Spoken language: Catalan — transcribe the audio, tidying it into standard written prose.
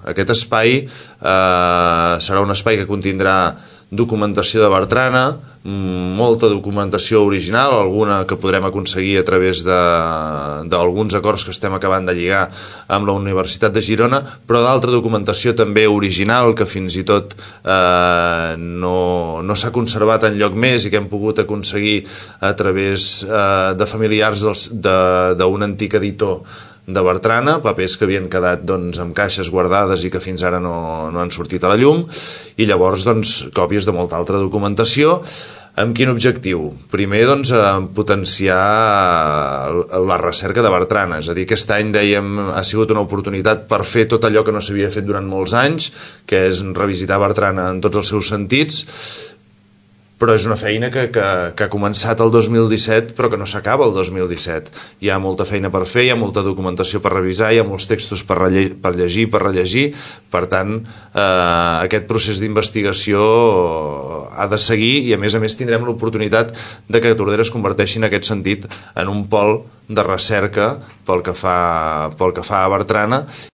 Aquest espai serà un espai que contindrà documentació de Bertrana, molta documentació original, alguna que podrem aconseguir a través d'alguns acords que estem acabant de lligar amb la Universitat de Girona, però d'altra documentació també original que fins i tot no s'ha conservat enlloc més i que hem pogut aconseguir a través de familiars d'un antic editor de Bertrana, papers que havien quedat amb caixes guardades i que fins ara no han sortit a la llum, i llavors còpies de molta altra documentació. Amb quin objectiu? Primer, potenciar la recerca de Bertrana, és a dir, aquest any, dèiem, ha sigut una oportunitat per fer tot allò que no s'havia fet durant molts anys, que és revisitar Bertrana en tots els seus sentits, però és una feina que ha començat el 2017 però que no s'acaba el 2017. Hi ha molta feina per fer, hi ha molta documentació per revisar, hi ha molts textos per llegir, per rellegir. Per tant, aquest procés d'investigació ha de seguir i a més tindrem l'oportunitat de que Tordera es converteixi en aquest sentit en un pol de recerca pel que fa a Bertrana